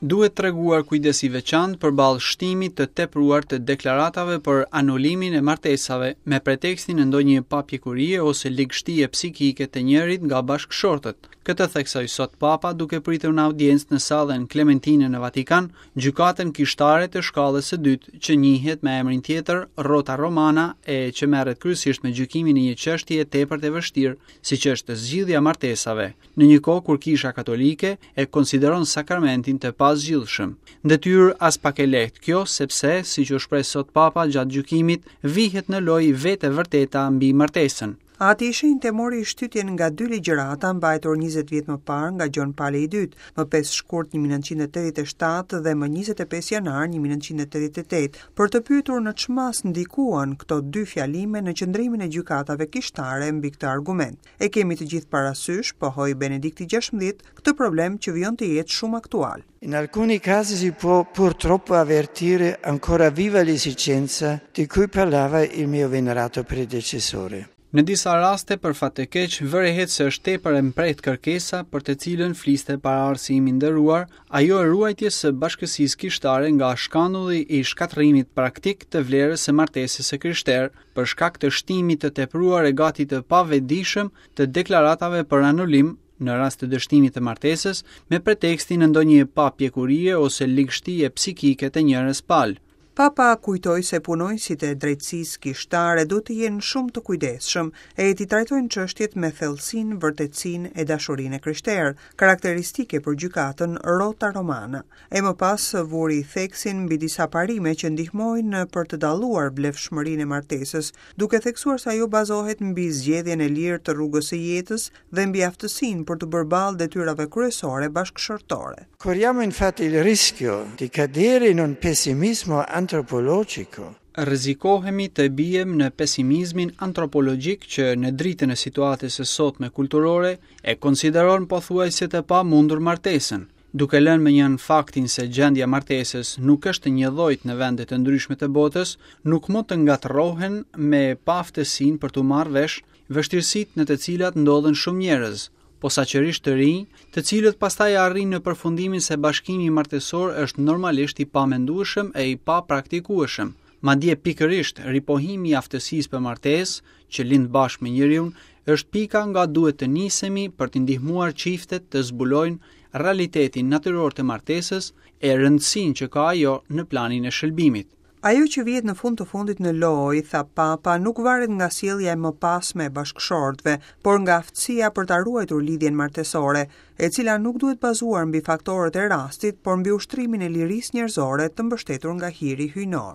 Duhet treguar kujdes i veçantë përballë shtimit të tepruar të deklaratave për anulimin e martesave me pretekstin e ndonjë papjekurie ose ligështie psikike të njërit nga bashkëshortët. Këtë theksoi sot Papa duke pritur në audiencë në sallën Klementine në Vatikan, gjykatën kishtare të shkallës së dytë, që njihet me emrin tjetër Rota Romana e që merret kryesisht me gjykimin e një çështjeje tepër të vështirë, siç është zgjidhja e martesave. në një kohë kur Kisha Katolike e konsideron sakramentin të pazgjidhshëm. Detyrë aspak e lehtë kjo, sepse, siç u shpreh sot Papa gjatë gjykimit, vihet në lojë vetë e vërteta mbi martesën. Ati i Shenjtë e mori shtytjen nga dy ligjërata mbajtur 20 vjet më parë nga Gjon Pali i Dytë, më 5 shkurt 1987 dhe më 25 janar 1988, për të pyetur në ç'masë ndikuan këto dy fjalime në qëndrimin e gjykatave kishtare mbi këtë argument. E kemi të gjithë parasysh, pohoi Benedikti XVI, këtë problem që vijon të jetë shumë aktual. In alcuni casi si può purtroppo avvertire ancora viva l'esigenza di cui parlava il mio venerato predecessore. Në disa raste, për fat të keq, vërehet se është tepër e mprehtë kërkesa për të cilën fliste paraardhësi im i nderuar, ajo e ruajtjes së bashkësisë kishtare nga shkandulli i shkatërrimit praktik të vlerës së martesës së krishterë, për shkak të shtimit të tepruar e gati të pavetëdijshëm të deklaratave për anulim në rast të dështimit të martesës, me pretekstin e ndonjë papjekurie ose ligështie psikike të njërës palë. Papa kujtoi se punonjësit e drejtësisë kishtare duhet të jenë shumë të kujdesshëm e t'i trajtojnë çështjet me thellësinë, vërtetësinë e dashurinë e krishterë, karakteristike për gjykatën Rota Romana. E më pas vuri theksin mbi disa parime që ndihmojnë për të dalluar vlefshmërinë e martesës, duke theksuar se ajo bazohet mbi zgjedhjen e lirë të rrugës së jetës dhe mbi aftësinë për t'u bërë ballë detyrave kryesore bashkëshortore. Corriamo infatti il rischio di cadere in un pessimismo antropologico. Rrezikohemi të biem në pesimizmin antropologjik që në dritën e situatës së sotme kulturore e konsideron pothuajse të pamundur martesën. Duke lënë mënjanë faktin se gjendja e martesës nuk është e njëllojtë në vende të ndryshme të botës, nuk mund të ngatërrohen me paaftësinë për t'u marrë vesh vështirësitë në të cilat ndodhen shumë njerëz, posaçërisht të rinj, të cilët pastaj arrijnë në përfundimin se bashkimi martesor është normalisht i pamendueshëm e i papraktikueshëm. Madje pikërisht ripohimi i aftësisë për martesë, që lind bashkë me njeriun, është pika nga duhet të nisemi për t'i ndihmuar çiftet të zbulojnë realitetin natyror të martesës e rëndësinë që ka ajo në planin e shëlbimit. Ajo që vihet në fund të fundit në lojë, tha Papa, nuk varet nga sjellja e mëpasme e bashkëshortëve, por nga aftësia për ta ruajtur lidhjen martesore, e cila nuk duhet bazuar mbi faktorët e rastit, por mbi ushtrimin e lirisë njerëzore të mbështetur nga hiri hyjnor.